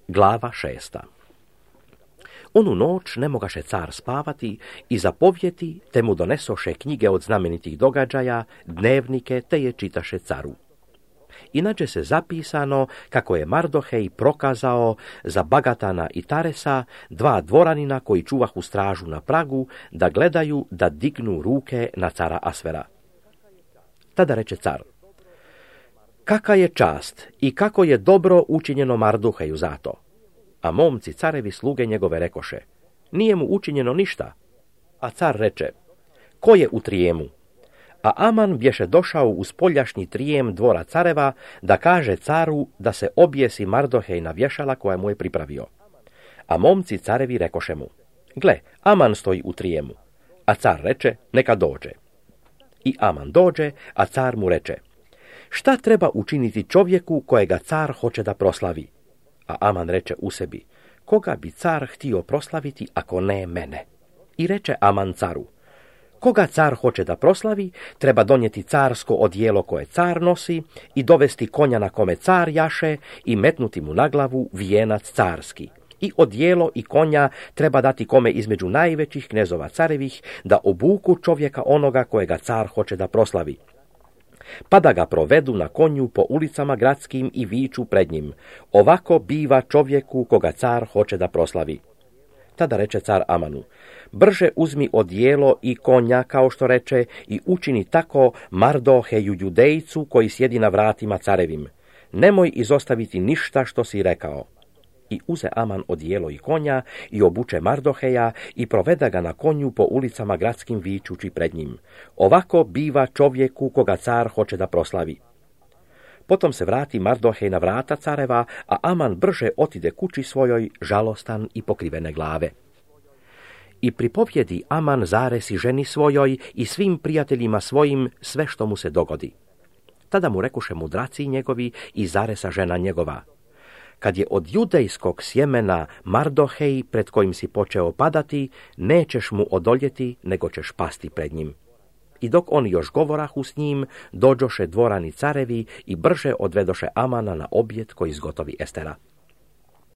Glava 6. Onu noć ne mogaše car spavati i zapovjeti, te mu donesoše knjige od znamenitih događaja, dnevnike, te je čitaše caru. Inače se zapisano kako je Mardohej prokazao za Bagatana i Taresa, dva dvoranina koji čuvahu stražu na pragu, da gledaju da dignu ruke na cara Asvera. Tada reče car: Kaka je čast i kako je dobro učinjeno Mardoheju zato. A momci carevi sluge njegove rekoše: Nije mu učinjeno ništa. A car reče: Ko je u trijemu? A Aman bješe došao u spoljašnji trijem dvora careva da kaže caru da se objesi Mardohej na vješala koja mu je pripravio. A momci carevi rekoše mu: Gle, Aman stoji u trijemu. A car reče: Neka dođe. I Aman dođe, a car mu reče: Šta treba učiniti čovjeku kojega car hoće da proslavi? A Aman reče u sebi: Koga bi car htio proslaviti ako ne mene? I reče Aman caru: Koga car hoće da proslavi, treba donijeti carsko odijelo koje car nosi i dovesti konja na kome car jaše i metnuti mu na glavu vijenac carski. I odijelo i konja treba dati kome između najvećih knezova carevih da obuku čovjeka onoga kojega car hoće da proslavi. Pa da ga provedu na konju po ulicama gradskim i viču pred njim: Ovako biva čovjeku koga car hoće da proslavi. Tada reče car Amanu: Brže uzmi odijelo i konja, kao što reče, i učini tako Mardoheju Judejcu koji sjedi na vratima carevim. Nemoj izostaviti ništa što si rekao. I uze Aman odijelo i konja i obuče Mardoheja i proveda ga na konju po ulicama gradskim vičući pred njim: Ovako biva čovjeku koga car hoće da proslavi. Potom se vrati Mardohej na vrata careva, a Aman brže otide kući svojoj, žalostan i pokrivene glave. I pripovjedi Aman Zaresi ženi svojoj i svim prijateljima svojim sve što mu se dogodi. Tada mu rekoše mudraci njegovi i Zaresa žena njegova: Kad je od judejskog sjemena Mardohej pred kojim si počeo padati, nećeš mu odoljeti, nego ćeš pasti pred njim. I dok oni još govorahu s njim, dođoše dvorani carevi i brže odvedoše Amana na objet koji izgotovi Estera.